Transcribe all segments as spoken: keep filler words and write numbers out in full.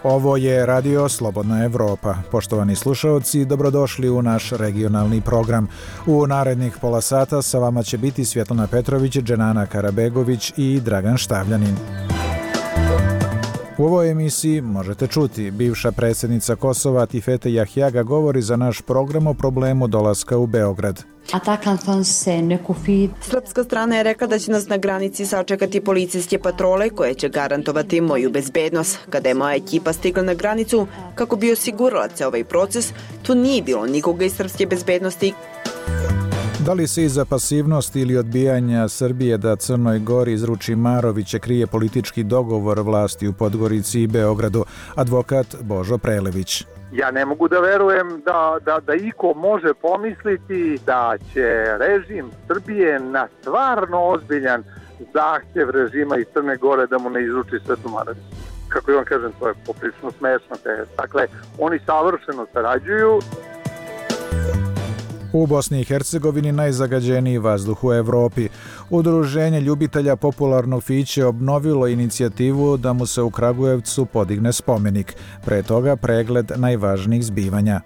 Ovo je Radio Slobodna Evropa. Poštovani slušaoci, dobrodošli u naš regionalni program. U narednih pola sata sa vama će biti Svjetlana Petrović, Dženana Karabegović i Dragan Štavljanin. U ovoj emisiji možete čuti bivša predsjednica Kosova Tifete Jahjaga govori za naš program o problemu dolaska u Beograd. Srpska strana je rekla da će nas na granici sačekati policijske patrole koje će garantovati moju bezbednost. Kada je moja ekipa stigla na granicu, kako bi osigurala se ovaj proces, tu nije bilo nikoga iz srpske bezbednosti. Da li se iza pasivnosti ili odbijanja Srbije da Crnoj Gori izruči Marovića krije politički dogovor vlasti u Podgorici i Beogradu? Advokat Božo Prelević. Ja ne mogu da verujem da, da, da iko može pomisliti da će režim Srbije na stvarno ozbiljan zahtjev režima iz Crne Gore da mu ne izruči Svetu Marović. Kako ja vam kažem, to je poprilično smešno. Dakle, oni savršeno sarađuju. U Bosni i Hercegovini najzagađeniji vazduh u Evropi. Udruženje ljubitelja popularnog pića obnovilo inicijativu da mu se u Kragujevcu podigne spomenik. Pre toga pregled najvažnijih zbivanja.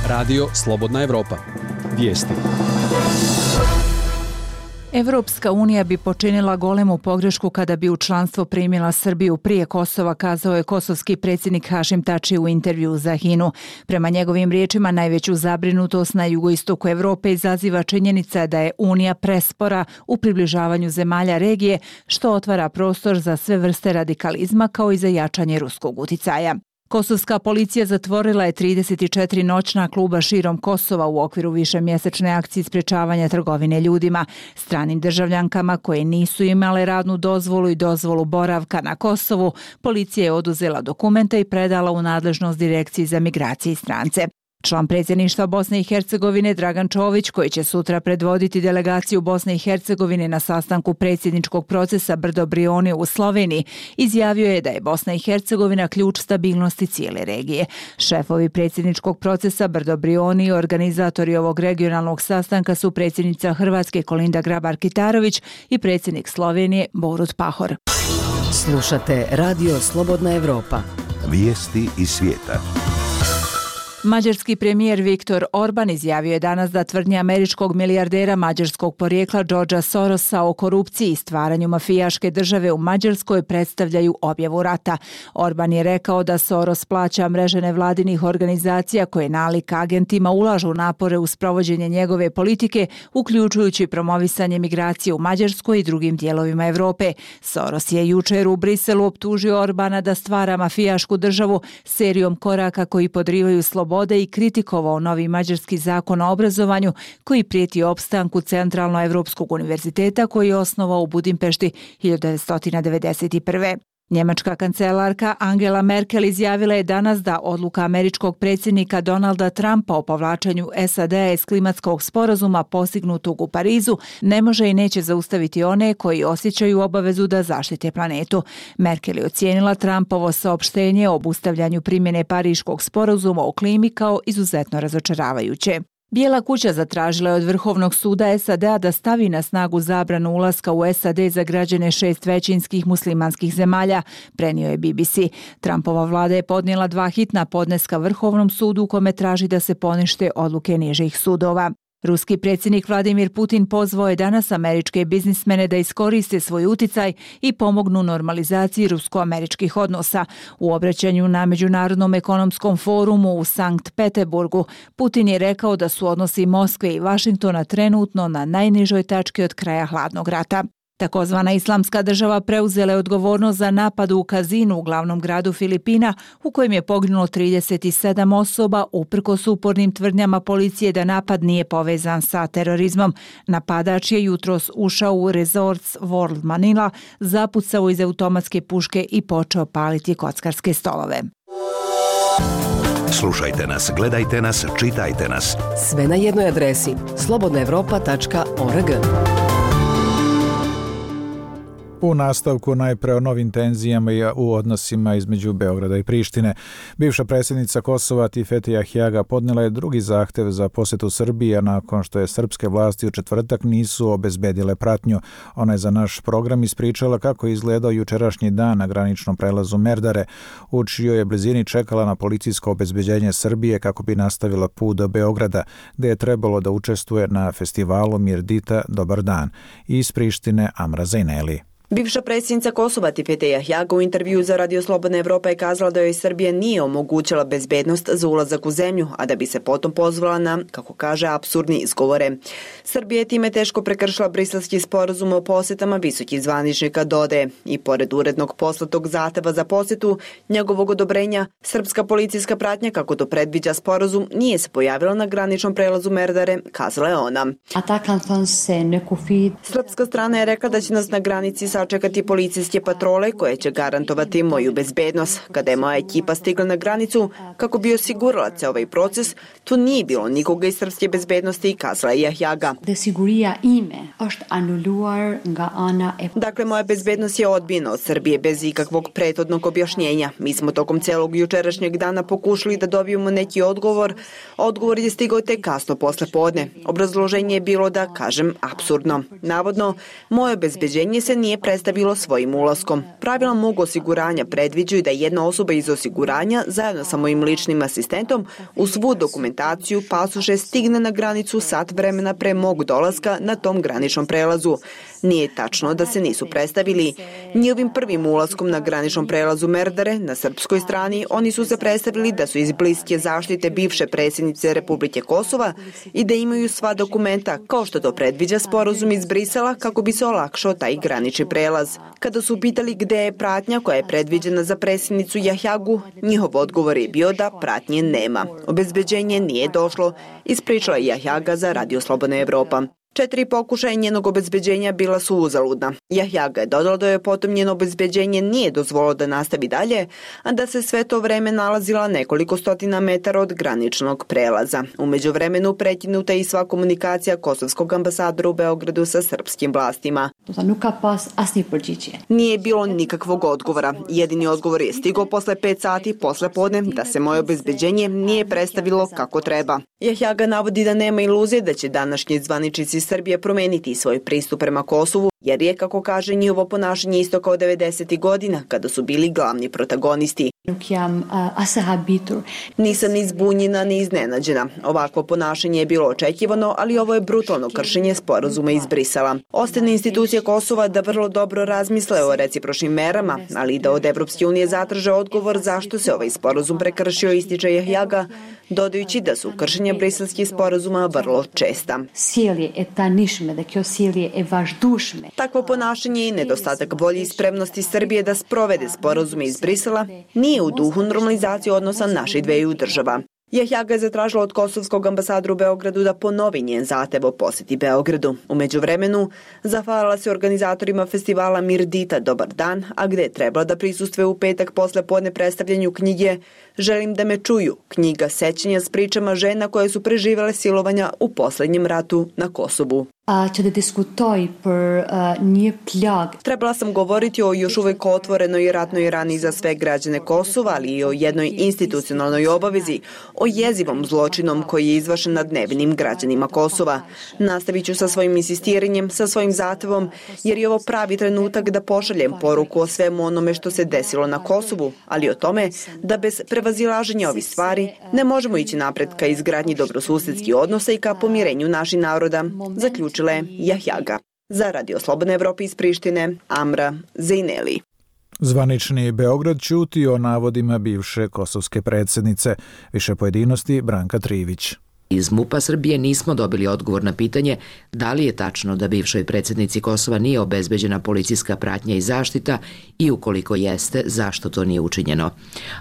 Radio Slobodna Evropa. Vijesti. Evropska unija bi počinila golemu pogrešku kada bi u članstvo primila Srbiju prije Kosova, kazao je kosovski predsjednik Hašim Tači u intervjuu za Hinu. Prema njegovim riječima, najveću zabrinutost na jugoistoku Evrope izaziva činjenica da je Unija prespora u približavanju zemalja regije, što otvara prostor za sve vrste radikalizma kao i za jačanje ruskog uticaja. Kosovska policija zatvorila je trideset četiri noćna kluba širom Kosova u okviru višemjesečne akcije sprečavanja trgovine ljudima. Stranim državljankama koje nisu imale radnu dozvolu i dozvolu boravka na Kosovu, policija je oduzela dokumente i predala u nadležnost Direkciji za migracije i strance. Član predsjedništva Bosne i Hercegovine Dragan Čović, koji će sutra predvoditi delegaciju Bosne i Hercegovine na sastanku predsjedničkog procesa Brdo Brioni u Sloveniji, izjavio je da je Bosna i Hercegovina ključ stabilnosti cijele regije. Šefovi predsjedničkog procesa Brdo Brioni i organizatori ovog regionalnog sastanka su predsjednica Hrvatske Kolinda Grabar-Kitarović i predsjednik Slovenije Borut Pahor. Slušate Radio Slobodna Evropa. Vijesti iz svijeta. Mađarski premijer Viktor Orban izjavio je danas da tvrdnje američkog milijardera mađarskog porijekla Georgea Sorosa o korupciji i stvaranju mafijaške države u Mađarskoj predstavljaju objavu rata. Orban je rekao da Soros plaća mreže nevladinih organizacija koje nalik agentima ulažu napore u sprovođenje njegove politike, uključujući promovisanje migracije u Mađarskoj i drugim dijelovima Evrope. Soros je jučer u Briselu optužio Orbana da stvara mafijašku državu serijom koraka koji podrivaju slobodu i kritikovao novi mađarski zakon o obrazovanju koji prijeti opstanku Centralno-Evropskog univerziteta koji je osnovao u Budimpešti hiljadu devetsto devedeset prve. Njemačka kancelarka Angela Merkel izjavila je danas da odluka američkog predsjednika Donalda Trumpa o povlačenju S A D-a iz klimatskog sporazuma postignutog u Parizu ne može i neće zaustaviti one koji osjećaju obavezu da zaštite planetu. Merkel je ocijenila Trumpovo saopštenje o obustavljanju primjene Pariškog sporazuma o klimi kao izuzetno razočaravajuće. Bijela kuća zatražila je od Vrhovnog suda S A D-a da stavi na snagu zabranu ulaska u S A D za građane šest većinskih muslimanskih zemalja, prenio je B B C. Trumpova vlada je podnijela dva hitna podneska Vrhovnom sudu u kome traži da se ponište odluke nižih sudova. Ruski predsjednik Vladimir Putin pozvao je danas američke biznismene da iskoriste svoj uticaj i pomognu normalizaciji rusko-američkih odnosa. U obraćanju na Međunarodnom ekonomskom forumu u Sankt Peterburgu, Putin je rekao da su odnosi Moskve i Vašingtona trenutno na najnižoj tački od kraja hladnog rata. Takozvana Islamska država preuzela je odgovornost za napad u kazinu u glavnom gradu Filipina u kojem je poginulo trideset sedam osoba uprkos upornim tvrdnjama policije da napad nije povezan sa terorizmom. Napadač je jutros ušao u Resorts World Manila, zapucao iz automatske puške i počeo paliti kockarske stolove. Slušajte nas, gledajte nas, čitajte nas. Sve na jednoj adresi slobodna evropa tačka org. U nastavku najpre o novim tenzijama u odnosima između Beograda i Prištine. Bivša predsjednica Kosova Tifeti Jahjaga podnijela je drugi zahtev za posjetu Srbije nakon što je srpske vlasti u četvrtak nisu obezbedile pratnju. Ona je za naš program ispričala kako je izgledao jučerašnji dan na graničnom prelazu Merdare, u čijoj je blizini čekala na policijsko obezbeđenje Srbije kako bi nastavila put do Beograda, gdje je trebalo da učestvuje na festivalu Mirdita Dobar dan. Iz Prištine Amra Zajneli. Bivša predsjednica Kosova Tifete Jahjaga u intervju za Radio Slobodna Evropa je kazala da joj Srbija nije omogućila bezbednost za ulazak u zemlju, a da bi se potom pozvala na, kako kaže, apsurdni izgovore. Srbija je time teško prekršila briselski sporazum o posjetama visokih zvaničnika, dodaje. I pored urednog poslatog zahteva za posjetu, njegovog odobrenja, srpska policijska pratnja, kako to predviđa sporazum, nije se pojavila na graničnom prelazu Merdare, kazala je ona. Srpska strana je rekla da će nas na granici sa sačekati policijske patrole koje će garantovati moju bezbednost. Kada je moja ekipa stigla na granicu kako bi osigurala ceo ovaj proces, tu nije bilo nikoga iz srpske bezbednosti, kazala je Jahjaga. Dakle, moja bezbednost je odbijena od Srbije bez ikakvog prethodnog objašnjenja. Mi smo tokom celog jučerašnjeg dana pokušali da dobijemo neki odgovor. Odgovor je stigao tek kasno posle podne. Obrazloženje je bilo da, kažem, apsurdno. Navodno, moje obezbeđenje se nije predstavilo svojim ulaskom. Pravila mog osiguranja predviđaju da jedna osoba iz osiguranja zajedno sa mojim ličnim asistentom u svu dokumentaciju, pasoše stigne na granicu sat vremena pre mog dolaska na tom graničnom prelazu. Nije tačno da se nisu predstavili. Njihovim prvim ulaskom na graničnom prelazu Merdare na srpskoj strani oni su se predstavili da su iz bliske zaštite bivše predsjednice Republike Kosova i da imaju sva dokumenta, kao što to predviđa sporazum iz Brisela kako bi se olakšao taj granični prelaz. Kada su pitali gde je pratnja koja je predviđena za predsjednicu Jahjagu, njihov odgovor je bio da pratnje nema. Obezbeđenje nije došlo, ispričala je Jahjaga za Radio Slobodna Evropa. Četiri pokušaja njenog obezbeđenja bila su uzaludna. Jahjaga je dodala da je potom njeno obezbeđenje nije dozvolilo da nastavi dalje, a da se sve to vreme nalazila nekoliko stotina metara od graničnog prelaza. U međuvremenu prekinuta je i sva komunikacija kosovskog ambasadora u Beogradu sa srpskim vlastima. Nije bilo nikakvog odgovora. Jedini odgovor je stigao posle pet sati posle podne da se moje obezbeđenje nije predstavilo kako treba. Jahjaga navodi da nema iluzije da će današnji zvaničnici Srbije promeniti svoj pristup prema Kosovu, jer je, kako kaže, njihovo ponašanje isto kao devedesetih godina, kada su bili glavni protagonisti. Nisam ni zbunjena ni iznenađena. Ovakvo ponašanje je bilo očekivano, ali ovo je brutalno kršenje sporazuma iz Brisela. Ostaje na institucije Kosova da vrlo dobro razmisle o recipročnim merama, ali i da od Evropske unije zatraže odgovor zašto se ovaj sporazum prekršio, ističe Jahjaga, dodajući da su kršenja briselskih sporazuma vrlo česta. Takvo ponašanje i nedostatak volje i spremnosti Srbije da sprovede sporazume iz Brisela nije u duhu normalizacije odnosa naših dveju država. Jahjaga je zatražila od kosovskog ambasadora u Beogradu da ponovi njen zahtev o posjeti Beogradu. U međuvremenu zahvalila se organizatorima festivala Mirdita Dobar dan, a gde je trebala da prisustvuje u petak posle podne predstavljanju knjige Želim da me čuju, knjiga sećanja s pričama žena koje su preživele silovanja u poslednjem ratu na Kosovu. Trebala sam govoriti o još uvek otvorenoj ratnoj rani za sve građane Kosova, ali i o jednoj institucionalnoj obavezi, o jezivom zločinom koji je izvršen nad nevinim građanima Kosova. Nastavit ću sa svojim insistiranjem, sa svojim zahtevom, jer je ovo pravi trenutak da pošaljem poruku o svemu onome što se desilo na Kosovu, ali o tome da bez prevazilaženja ovih stvari ne možemo ići napred ka izgradnji dobrosusedskih odnosa i ka pomirenju naših naroda, zaključila je Jahjaga. Za Radio Slobodna Evropa iz Prištine, Amra Zajneli. Zvanični Beograd ćuti o navodima bivše kosovske predsjednice. Više pojedinosti Branka Trivić. Iz MUP-a Srbije nismo dobili odgovor na pitanje da li je tačno da bivšoj predsjednici Kosova nije obezbeđena policijska pratnja i zaštita i ukoliko jeste, zašto to nije učinjeno.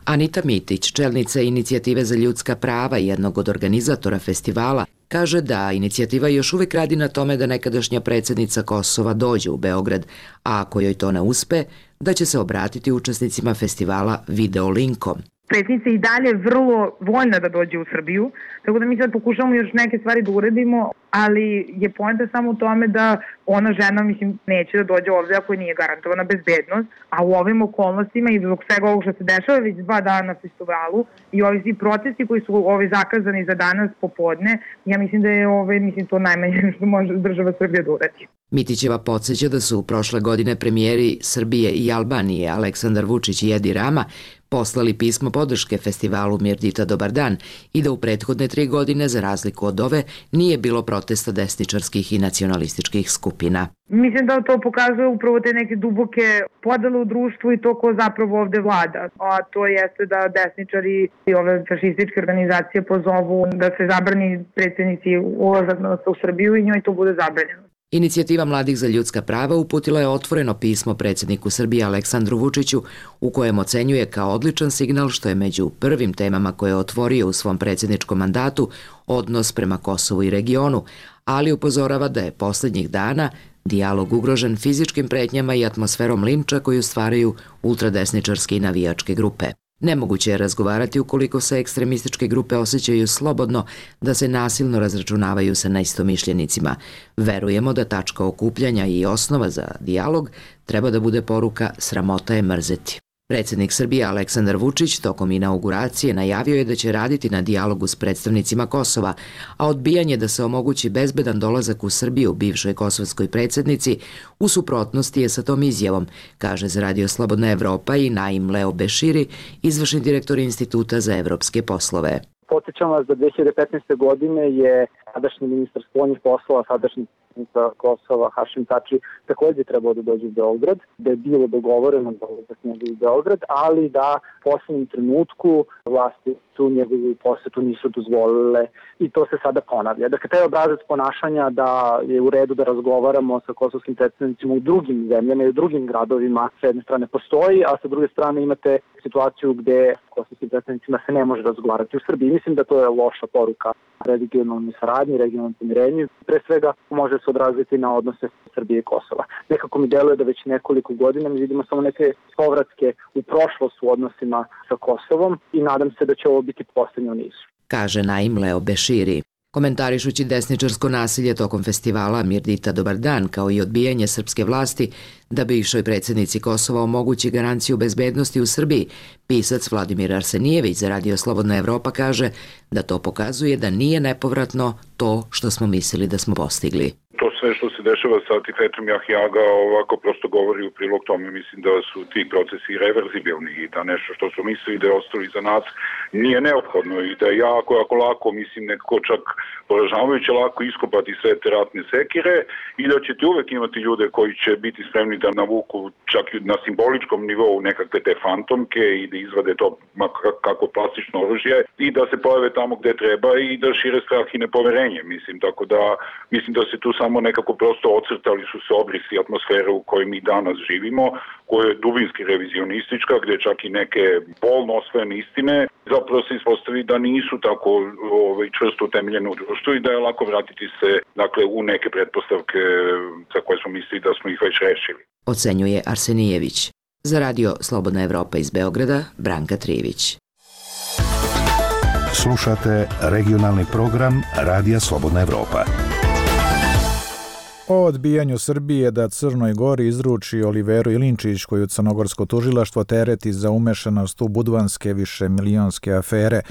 Anita Mitić, čelnica Inicijative za ljudska prava i jednog od organizatora festivala, kaže da inicijativa još uvijek radi na tome da nekadašnja predsjednica Kosova dođe u Beograd, a ako joj to ne uspe, da će se obratiti učesnicima festivala video linkom. Predsjednica i dalje vrlo voljna da dođe u Srbiju, tako da mi sad pokušamo još neke stvari da uredimo, ali je poenta samo u tome da ona žena, mislim, neće da dođe ovde ako nije garantovana bezbednost, a u ovim okolnostima i zbog svega ovog što se dešava već dva dana na festivalu i ovi svi procesi koji su ovi zakazani za danas popodne, ja mislim da je ove, mislim, to najmanje što može država Srbija da uradi. Mitićeva podsjeća da su prošle godine premijeri Srbije i Albanije Aleksandar Vučić i Edi Rama poslali pismo podrške festivalu Mirdita Dobar dan i da u prethodne tri godine, za razliku od ove, nije bilo protesta desničarskih i nacionalističkih skupina. Mislim da to pokazuje upravo te neke duboke podele u društvu i to ko zapravo ovde vlada. A to jeste da desničari i ove fašističke organizacije pozovu da se zabrani predsjednici ulazak u Srbiju i njoj to bude zabranjeno. Inicijativa Mladih za ljudska prava uputila je otvoreno pismo predsjedniku Srbije Aleksandru Vučiću u kojem ocenjuje kao odličan signal što je među prvim temama koje je otvorio u svom predsjedničkom mandatu odnos prema Kosovu i regionu, ali upozorava da je posljednjih dana dijalog ugrožen fizičkim pretnjama i atmosferom linča koju stvaraju ultradesničarske i navijačke grupe. Nemoguće je razgovarati ukoliko se ekstremističke grupe osjećaju slobodno da se nasilno razračunavaju sa neistomišljenicima. Verujemo da tačka okupljanja i osnova za dijalog treba da bude poruka sramota je mrzeti. Predsjednik Srbije Aleksandar Vučić tokom inauguracije najavio je da će raditi na dijalogu s predstavnicima Kosova, a odbijanje da se omogući bezbedan dolazak u Srbiju bivšoj kosovskoj predsjednici u suprotnosti je sa tom izjavom, kaže za Radio Slobodna Evropa i Naim Leo Beširi, izvršni direktor Instituta za evropske poslove. Podsjećam vas da dve hiljade petnaeste. godine je sadašnji ministar spoljnih poslova, sadašnji ministar Kosova Hašim Tači također trebao da dođe u Beograd, da je bilo dogovoreno da dolazak njega u Beograd, ali da u posljednjem trenutku vlasti tu njegovu posetu nisu dozvolile i to se sada ponavlja. Dakle, taj obrazac ponašanja da je u redu da razgovaramo sa kosovskim predstavnicima u drugim zemljama i u drugim gradovima s jedne strane postoji, a sa druge strane imate situaciju gde kosovskim predstavnicima se ne može razgovarati u Srbiji. Mislim da to je loša poruka regionalnoj saradnji, regionalnom pomirenju. Pre svega može se odraziti na odnose Srbije i Kosova. Nekako mi deluje da već nekoliko godina mi vidimo samo neke povratke u prošlost u odnosima sa Kosovom i nadam se da će ovo biti posljednje u nizu. Kaže Naim Leo Beširi. Komentarišući desničarsko nasilje tokom festivala Mirdita Dobar dan kao i odbijanje srpske vlasti da bivšoj predsjednici Kosova omogući garanciju bezbednosti u Srbiji, pisac Vladimir Arsenijević za Radio Slobodna Evropa kaže da to pokazuje da nije nepovratno to što smo mislili da smo postigli. To sve što se dešava sa Tifetom Jahjaga ovako prosto govori u prilog tome. Mislim da su ti procesi reverzibilni i da nešto što su mislili da je ostalo iza nas nije neophodno i da je jako, jako lako, mislim nekako čak poražavajuće lako iskopati sve te ratne sekire i da ćete uvek imati ljude koji će biti spremni da navuku čak na simboličkom nivou nekakve te fantomke i da izvade to kako plastično oružje i da se pojave tamo gde treba i da šire strah i nepoverenje. Mislim, tako da mislim da se tu samo nekako prosto ocrtali su se obrisi atmosfere u kojoj mi danas živimo, koja je dubinski revizionistička, gde čak i neke bolno osvojene istine zapravo se ispostavi da nisu tako ovaj, čvrsto utemeljene u društvu i da je lako vratiti se dakle, u neke pretpostavke za koje smo mislili da smo ih već rešili. Ocenjuje Arsenijević. Za Radio Slobodna Evropa iz Beograda, Branka Trivić. Slušate regionalni program Radija Slobodna Evropa. O odbijanju Srbije da Crnoj Gori izruči Oliveru Ilinčić, koju crnogorsko tužilaštvo tereti za umešanost u budvanske višemilionske afere.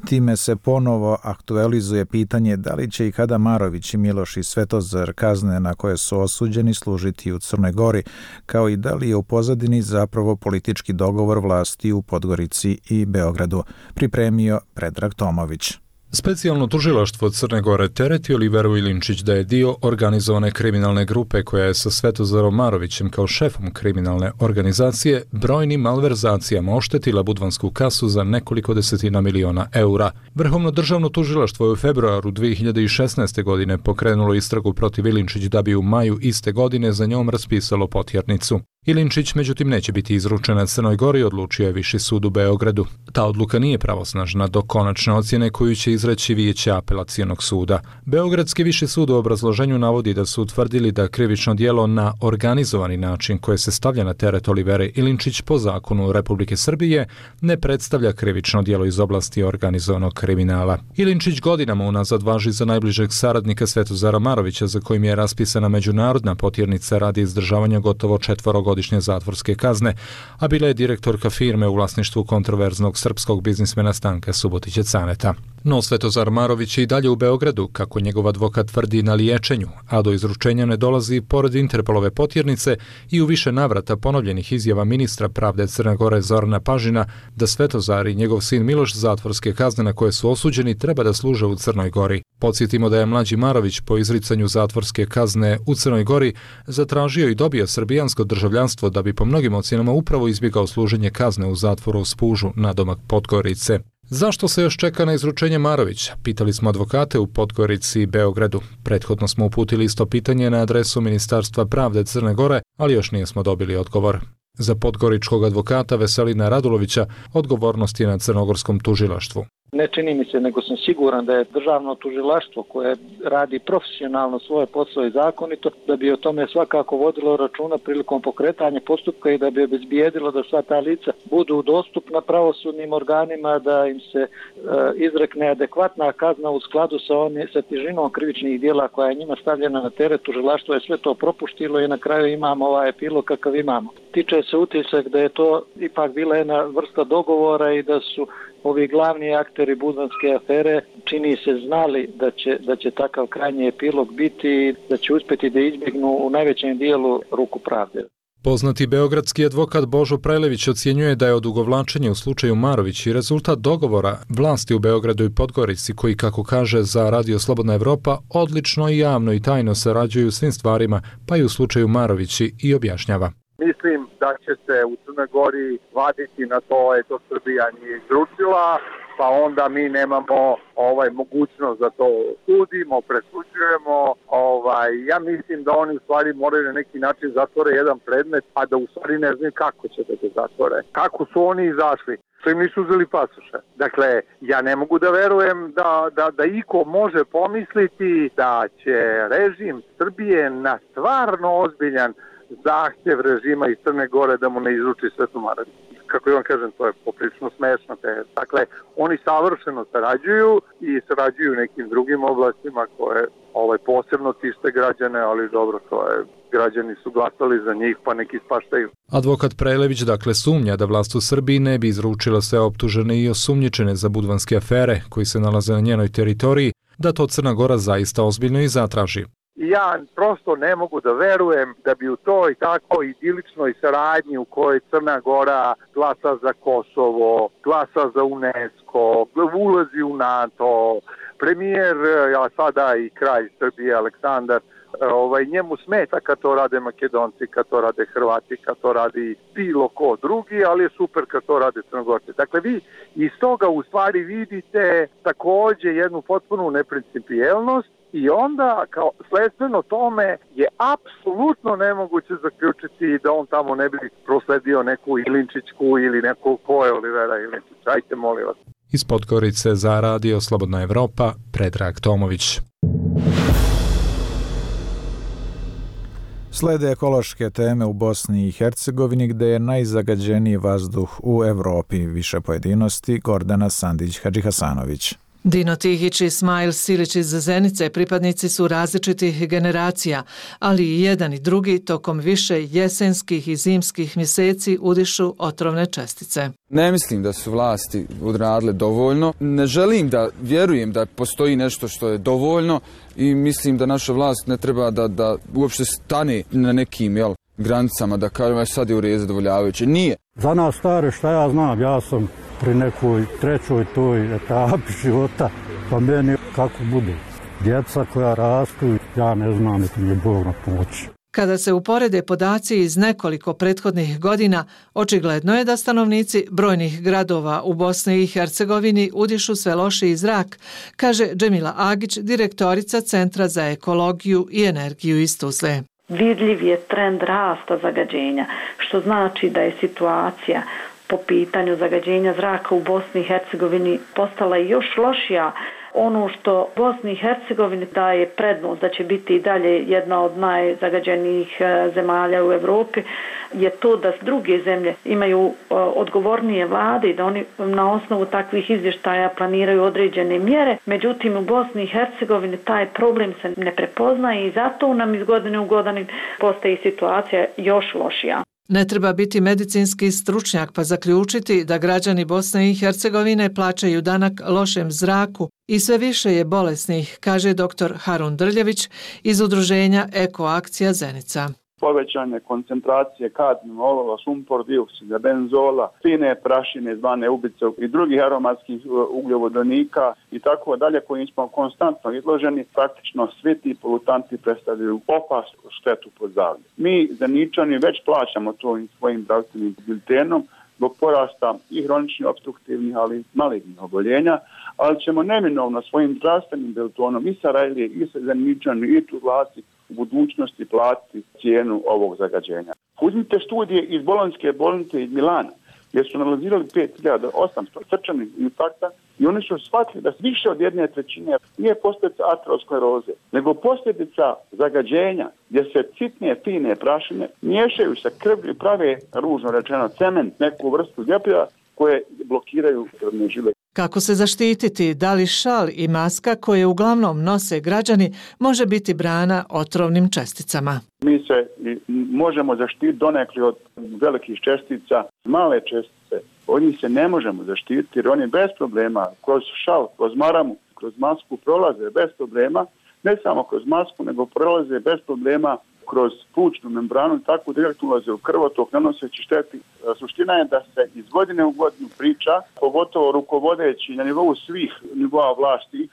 Time se ponovo aktualizuje pitanje da li će i kada Marović i Miloš i Svetozar kazne na koje su osuđeni služiti u Crnoj Gori, kao i da li je u pozadini zapravo politički dogovor vlasti u Podgorici i Beogradu, pripremio Predrag Tomović. Specijalno tužilaštvo Crne Gore tereti Oliveru Ilinčić da je dio organizovane kriminalne grupe koja je sa Svetozarom Marovićem kao šefom kriminalne organizacije brojnim malverzacijama oštetila budvansku kasu za nekoliko desetina miliona eura. Vrhovno državno tužilaštvo je u februaru dve hiljade šesnaeste. godine pokrenulo istragu protiv Ilinčić da bi u maju iste godine za njom raspisalo potjernicu. Ilinčić međutim neće biti izručena Crnoj Gori, odlučio je Viši sud u Beogradu. Ta odluka nije pravosnažna do konačne ocjene koju će izreći Vijeće apelacionog suda. Beogradski Viši sud u obrazloženju navodi da su utvrdili da krivično djelo na organizovani način koje se stavlja na teret Olivere Ilinčić po zakonu Republike Srbije ne predstavlja krivično djelo iz oblasti organizovanog kriminala. Ilinčić godinama unazad važi za najbližeg saradnika Svetozara Marovića, za kojim je raspisana međunarodna potjernica radi izdržavanja gotovo četvorogodišnje zatvorske kazne, a bila je direktorka firme u vlasništvu kontroverznog srpskog biznismena Stanka Subotića Caneta. No Svetozar Marović je i dalje u Beogradu, kako njegov advokat tvrdi, na liječenju, a do izručenja ne dolazi pored Interpolove potjernice i u više navrata ponovljenih izjava ministra pravde Crne Gore Zorana Pažina da Svetozar i njegov sin Miloš zatvorske kazne na koje su osuđeni treba da služe u Crnoj Gori. Podsjetimo da je mlađi Marović po izricanju zatvorske kazne u Crnoj Gori zatražio i dobio srbijansko državljanstvo da bi po mnogim ocjenama upravo izbjegao služenje kazne u zatvoru u Spužu nadomak Podgorice. Zašto se još čeka na izručenje Marovića? Pitali smo advokate u Podgorici i Beogradu. Prethodno smo uputili isto pitanje na adresu Ministarstva pravde Crne Gore, ali još nismo dobili odgovor. Za podgoričkog advokata Veselina Radulovića odgovornost je na crnogorskom tužilaštvu. Ne čini mi se, nego sam siguran da je državno tužilaštvo koje radi profesionalno svoje posao i zakonito, da bi o tome svakako vodilo računa prilikom pokretanja postupka i da bi obezbijedilo da sva ta lica budu dostupna pravosudnim organima, da im se e, izrekne adekvatna kazna u skladu sa, oni, sa težinom krivičnih djela koja je njima stavljena na teret. Tužilaštvo je sve to propuštilo i na kraju imamo ovaj epilog kakav imamo. Tiče se utisak da je to ipak bila jedna vrsta dogovora i da su ovi glavni akteri budvanske afere čini se znali da će, da će takav krajnji epilog biti, da će uspjeti da izbjegnu u najvećem dijelu ruku pravde. Poznati beogradski advokat Božo Prajlević ocjenjuje da je odugovlačenje u slučaju Marović i rezultat dogovora vlasti u Beogradu i Podgorici koji, kako kaže za Radio Slobodna Evropa, odlično i javno i tajno sarađuju u svim stvarima, pa i u slučaju Marovići, i objašnjava. Mislim da će se u Crnoj Gori vaditi na to, eto Srbija nije izručila, pa onda mi nemamo ovaj mogućnost da to sudimo, presuđujemo. Ovaj, ja mislim da oni u stvari moraju na neki način zatvore jedan predmet, a da u stvari ne znaju kako će da ga zatvore. Kako su oni izašli? Što im nisu uzeli pasoše. Dakle, ja ne mogu da verujem da, da, da iko može pomisliti da će režim Srbije na stvarno ozbiljan zahtjev režima iz Crne Gore da mu ne izruči Svetu Marović. Kako ja vam kažem, to je poprilično smešno. Dakle, oni savršeno sarađuju i sarađuju u nekim drugim oblastima koje ovaj, posebno tište građane, ali dobro, to je, građani su glasali za njih, pa neki spaštaju. Advokat Prajlević dakle sumnja da vlast u Srbiji ne bi izručila sve optužene i osumnjičene za budvanske afere koji se nalaze na njenoj teritoriji, da to Crna Gora zaista ozbiljno i zatraži. Ja prosto ne mogu da verujem da bi u toj tako idiličnoj saradnji u kojoj Crna Gora glasa za Kosovo, glasa za UNESCO, ulazi u NATO, premijer, a sada i kralj Srbije Aleksandar, ovaj, njemu smeta kad to rade Makedonci, kad to rade Hrvati, kad to radi bilo ko drugi, ali je super kad to rade Crnogorci. Dakle, vi iz toga u stvari vidite takođe jednu potpunu neprincipijelnost. I onda, kao sledstveno tome, je apsolutno nemoguće zaključiti da on tamo ne bi prosledio neku Ilinčićku ili neku ko je Olivera Ilinčić. Ajte, molim vas. Iz Podgorice za Radio Slobodna Evropa, Predrag Tomović. Slede ekološke teme u Bosni i Hercegovini gde je najzagađeniji vazduh u Evropi. Više pojedinosti Gordana Sandić-Hadžihasanović. Dino Tihić i Ismail Silić iz Zenice pripadnici su različitih generacija, ali i jedan i drugi tokom više jesenskih i zimskih mjeseci udišu otrovne čestice. Ne mislim da su vlasti odradile dovoljno. Ne želim da vjerujem da postoji nešto što je dovoljno i mislim da naša vlast ne treba da, da uopšte stane na nekim jel, granicama da kažem sad je u redu zadovoljavajuće. Nije. Za nas stare šta ja znam, ja sam pri nekoj trećoj toj etapi života, pa meni kako bude. Djeca koja rastu, ja ne znam, niti mi je Bog na pomoći. Kada se uporede podaci iz nekoliko prethodnih godina, očigledno je da stanovnici brojnih gradova u Bosni i Hercegovini udišu sve lošiji zrak, kaže Džemila Agić, direktorica Centra za ekologiju i energiju iz Tuzle. vidljiv je trend rasta zagađenja, što znači da je situacija po pitanju zagađenja zraka u Bosni i Hercegovini postala još lošija. Ono što Bosni i Hercegovini daje prednost da će biti i dalje jedna od najzagađenijih zemalja u Europi je to da druge zemlje imaju odgovornije vlade i da oni na osnovu takvih izvještaja planiraju određene mjere. Međutim, u Bosni i Hercegovini taj problem se ne prepoznaje i zato nam iz godine u godinu postaje situacija još lošija. Ne treba biti medicinski stručnjak pa zaključiti da građani Bosne i Hercegovine plaćaju danak lošem zraku i sve više je bolesnih, kaže doktor Harun Drljević iz udruženja Eko akcija Zenica. Povećanje koncentracije kadmijuma, olova, sumpor dioksida, benzola, fine prašine zvane ubice i drugih aromatskih ugljovodonika i tako dalje koji smo konstantno izloženi, praktično svi ti polutanti predstavljaju opasnu štetu po zdravlje. Mi Zeničani već plaćamo to svojim zdravstvenim biltenom zbog porasta i hroničnih opstruktivnih, ali i malignih oboljenja, ali ćemo neminovno svojim zdravstvenim biltonom i Sarajlije i Zeničani i tu vlasti u budućnosti platiti cijenu ovog zagađenja. Uzmite studije iz Bolonjske bolnice iz Milana, gdje su analizirali pet hiljada osamsto srčanih infarkta i oni su shvatili da više od jedne trećine nije posljedica ateroskleroze, nego posljedica zagađenja gdje se sitne, fine prašine miješaju sa krvlju i prave, ružno rečeno, cement, neku vrstu ljepljiva koje blokiraju krvne žile. Kako se zaštititi? Da li šal i maska koje uglavnom nose građani može biti brana otrovnim česticama? Mi se možemo zaštititi donekli od velikih čestica, male čestice. Od njih se ne možemo zaštititi jer oni bez problema kroz šal, kroz maramu, kroz masku prolaze bez problema, ne samo kroz masku, nego prolaze bez problema kroz plućnu membranu i tako direktno ulaze u krvotok nanoseći šteti. Suština je da se iz godine u godinu priča, pogotovo rukovodeći na nivou svih nivoa vlasti,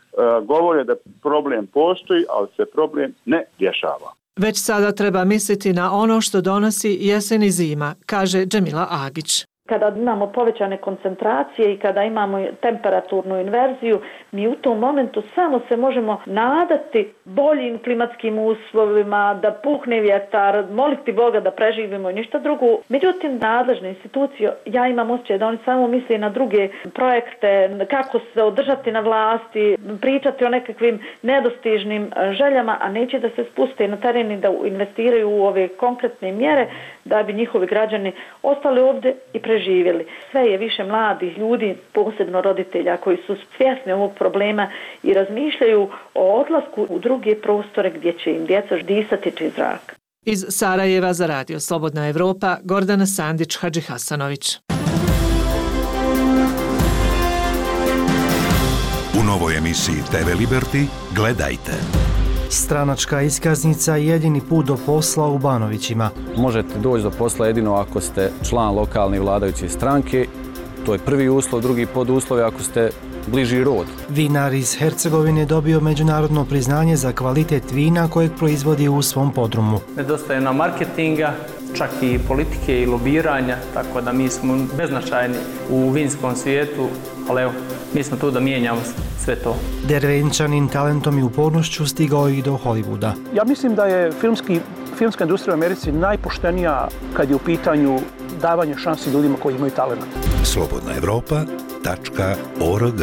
govore da problem postoji, ali se problem ne rješava. Već sada treba misliti na ono što donosi jesen i zima, kaže Džemila Agić. Kada imamo povećane koncentracije i kada imamo temperaturnu inverziju, mi u tom momentu samo se možemo nadati boljim klimatskim uslovima, da puhne vjetar, moliti Boga da preživimo i ništa drugo. Međutim, nadležne institucije, ja imam osjećaj da oni samo misle na druge projekte, kako se održati na vlasti, pričati o nekakvim nedostižnim željama, a neće da se spuste na teren i da investiraju u ove konkretne mjere da bi njihovi građani ostali ovdje i preživjeli. Živjeli. Sve je više mladih ljudi, posebno roditelja koji su svjesni ovog problema i razmišljaju o odlasku u druge prostore gdje će im djeca disati čist zrak. Iz Sarajeva za Radio Slobodna Evropa, Gordana Sandić Hadžihasanović. U novoj emisiji te ve Liberty gledajte. Stranačka iskaznica je jedini put do posla u Banovićima. Možete doći do posla jedino ako ste član lokalne vladajuće stranke. To je prvi uslov, drugi poduslov je ako ste bliži rod. Vinar iz Hercegovine dobio međunarodno priznanje za kvalitet vina kojeg proizvodi u svom podrumu. Nedostaje nam marketinga, čak i politike i lobiranja, tako da mi smo beznačajni u vinskom svijetu, ali evo, mi smo tu da mijenjamo sve to. Dervenčanin talentom i upornošću stigao i do Hollywooda. Ja mislim da je filmski, filmska industrija u Americi najpoštenija kad je u pitanju davanje šansi ljudima koji imaju talent. slobodna evropa tačka org.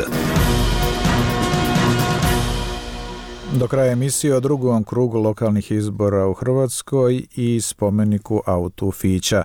Do kraja emisije o drugom krugu lokalnih izbora u Hrvatskoj i spomeniku autu Fića.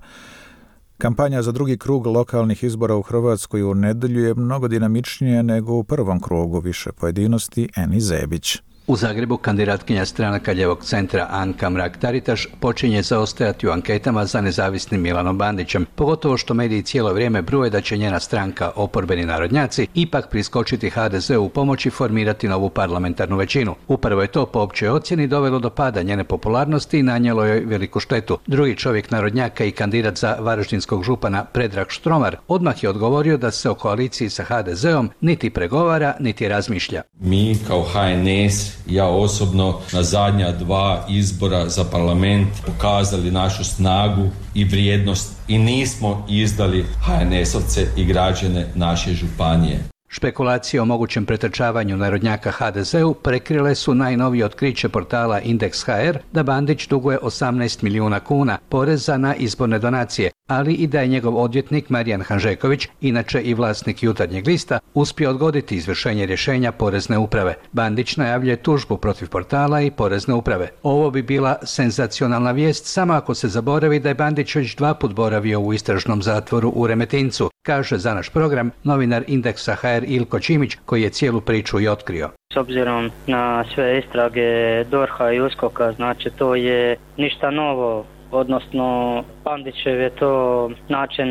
Kampanja za drugi krug lokalnih izbora u Hrvatskoj u nedjelju je mnogo dinamičnija nego u prvom krugu, više pojedinosti Eni Zebić. U Zagrebu kandidatkinja stranaka Ljevog centra Anka Mrak-Taritaš počinje zaostajati u anketama za nezavisnim Milanom Bandićem, pogotovo što mediji cijelo vrijeme bruje da će njena stranka, oporbeni narodnjaci, ipak priskočiti ha de zeu u pomoć i formirati novu parlamentarnu većinu. Upravo je to po općoj ocjeni dovelo do pada njene popularnosti i nanijelo joj veliku štetu. Drugi čovjek narodnjaka i kandidat za varaždinskog župana Predrag Štromar odmah je odgovorio da se o koaliciji sa ha de zeom niti pregovara, niti razmišlja. Mi kao ha en es, ja osobno, na zadnja dva izbora za parlament pokazali našu snagu i vrijednost i nismo izdali ha en esovce i građane naše županije. Špekulacije o mogućem pretrčavanju narodnjaka ha de ze u prekrile su najnovije otkriće portala Indeks ha er da Bandić duguje osamnaest milijuna kuna poreza na izborne donacije, ali i da je njegov odvjetnik Marijan Hanžeković, inače i vlasnik Jutarnjeg lista, uspio odgoditi izvršenje rješenja Porezne uprave. Bandić najavljuje tužbu protiv portala i Porezne uprave. Ovo bi bila senzacionalna vijest samo ako se zaboravi da je Bandić već dva put boravio u istražnom zatvoru u Remetincu, kaže za naš program novinar Indeksa ha er Ilko Čimić, koji je cijelu priču i otkrio. S obzirom na sve istrage dorha i uskoka, znači to je ništa novo, odnosno Bandićev je to način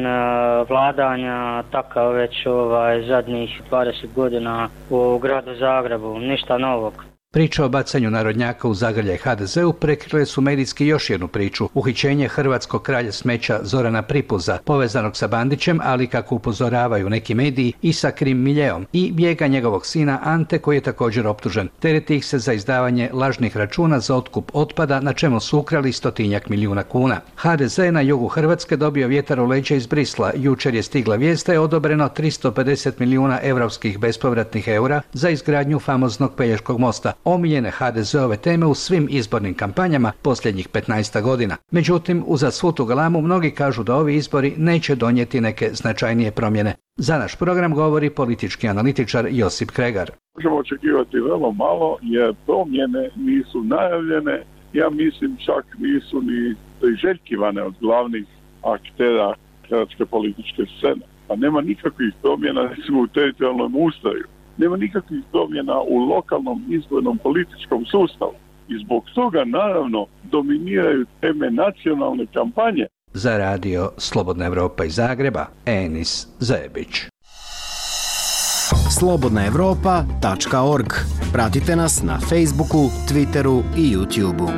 vladanja takav već ovaj, zadnjih dvadeset godina u gradu Zagrebu, ništa novog. Priča o bacanju narodnjaka u zagrljaj ha de ze u prekrile su medijski još jednu priču, uhićenje hrvatskog kralja smeća Zorana Pripuza, povezanog sa Bandićem, ali kako upozoravaju neki mediji i sa Krim miljeom, i bijega njegovog sina Ante, koji je također optužen. Tereti ih se za izdavanje lažnih računa za otkup otpada, na čemu su ukrali stotinjak milijuna kuna. ha de ze na jugu Hrvatske dobio vjetar u leđa iz Brisla. Jučer je stigla vijest da je odobreno tristo pedeset milijuna europskih bespovratnih eura za izgradnju famoznog Pelješkog mosta, omiljene ha de zeove teme u svim izbornim kampanjama posljednjih petnaest godina. Međutim, uza svu tu galamu mnogi kažu da ovi izbori neće donijeti neke značajnije promjene. Za naš program govori politički analitičar Josip Kregar. Možemo očekivati vrlo malo jer promjene nisu najavljene, ja mislim čak nisu ni priželjkivane od glavnih aktera hrvatske političke scene. Pa nema nikakvih promjena recimo u teritorijalnom ustroju. Nema nikakvih promjena u lokalnom izbornom političkom sustavu. I zbog toga, naravno, dominiraju teme nacionalne kampanje. Za radio Slobodna Evropa iz Zagreba, Enis Zebić. slobodna evropa tačka org. Pratite nas na Facebooku, Twitteru i YouTubeu.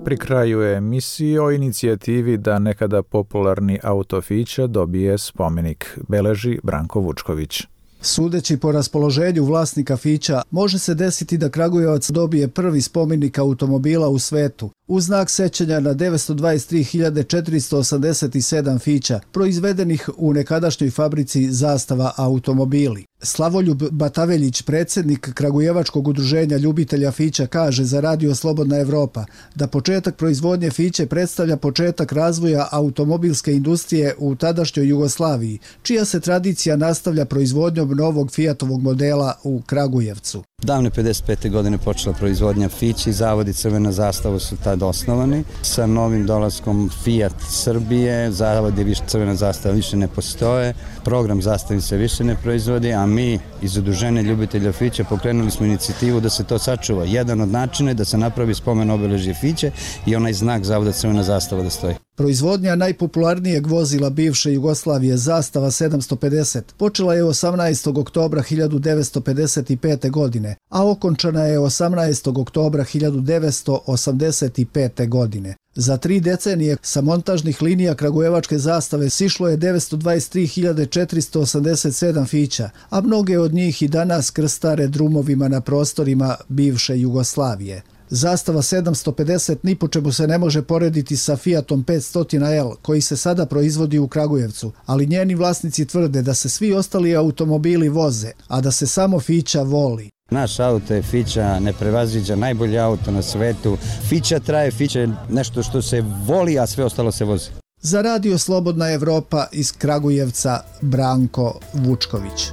Pri kraju je emisije o inicijativi da nekada popularni auto Fića dobije spomenik, beleži Branko Vučković. Sudeći po raspoloženju vlasnika Fića, može se desiti da Kragujevac dobije prvi spomenik automobila u svetu, u znak sećanja na devetsto dvadeset tri hiljade četiristo osamdeset sedam Fića, proizvedenih u nekadašnjoj fabrici Zastava automobili. Slavoljub Bataveljić, predsjednik Kragujevačkog udruženja ljubitelja Fića, kaže za radio Slobodna Evropa da početak proizvodnje Fiće predstavlja početak razvoja automobilske industrije u tadašnjoj Jugoslaviji, čija se tradicija nastavlja proizvodnjom novog Fiatovog modela u Kragujevcu. Davne pedeset pete godine počela proizvodnja Fići, zavodi Crvena zastava su tad osnovani. Sa novim dolaskom Fiat Srbije, zavodi više Crvena zastava više ne postoje, program zastavi se više ne proizvodi, a mi iz udruženja ljubitelja Fića pokrenuli smo inicijativu da se to sačuva. Jedan od načina je da se napravi spomen obeležje Fiće i onaj znak zavoda Crvena zastava da stoji. Proizvodnja najpopularnijeg vozila bivše Jugoslavije Zastava sedamsto pedeset počela je osamnaestog oktobra hiljadu devetsto pedeset pete godine, a okončana je osamnaestog oktobra hiljadu devetsto osamdeset pete godine. Za tri decenije sa montažnih linija Kragujevačke zastave sišlo je devetsto dvadeset tri hiljade četiristo osamdeset sedam Fića, a mnoge od njih i danas krstare drumovima na prostorima bivše Jugoslavije. Zastava sedamsto pedeset ni po čemu se ne može porediti sa Fiatom petsto L koji se sada proizvodi u Kragujevcu, ali njeni vlasnici tvrde da se svi ostali automobili voze, a da se samo Fića voli. Naš auto je Fića, ne prevaziđa, najbolji auto na svetu. Fića traje, Fića je nešto što se voli, a sve ostalo se vozi. Za radio Slobodna Evropa iz Kragujevca, Branko Vučković.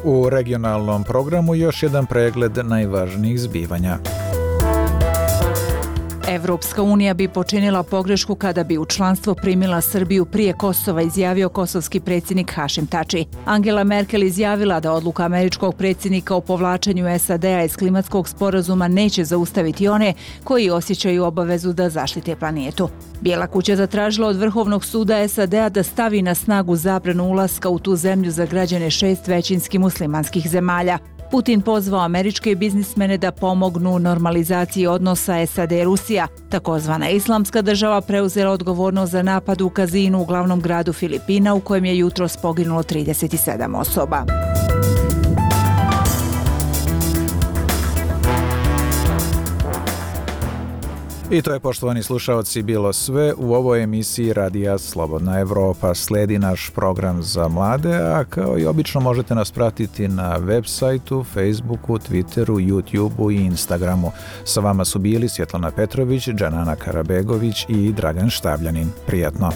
U regionalnom programu još jedan pregled najvažnijih zbivanja. Evropska unija bi počinila pogrešku kada bi u članstvo primila Srbiju prije Kosova, izjavio kosovski predsjednik Hašim Tači. Angela Merkel izjavila da odluka američkog predsjednika o povlačenju es a de a iz klimatskog sporazuma neće zaustaviti one koji osjećaju obavezu da zaštite planetu. Bijela kuća zatražila od Vrhovnog suda es a de a da stavi na snagu zabranu ulaska u tu zemlju za građane šest većinski muslimanskih zemalja. Putin pozvao američke biznismene da pomognu normalizaciji odnosa es a de Rusija. Takozvana islamska država preuzela odgovornost za napad u kazinu u glavnom gradu Filipina u kojem je jutros poginulo trideset sedam osoba. I to je, poštovani slušaoci, bilo sve u ovoj emisiji Radija Slobodna Evropa. Sledi naš program za mlade, a kao i obično možete nas pratiti na web sajtu, Facebooku, Twitteru, YouTubeu i Instagramu. Sa vama su bili Svjetlana Petrović, Džanana Karabegović i Dragan Štavljanin. Prijatno!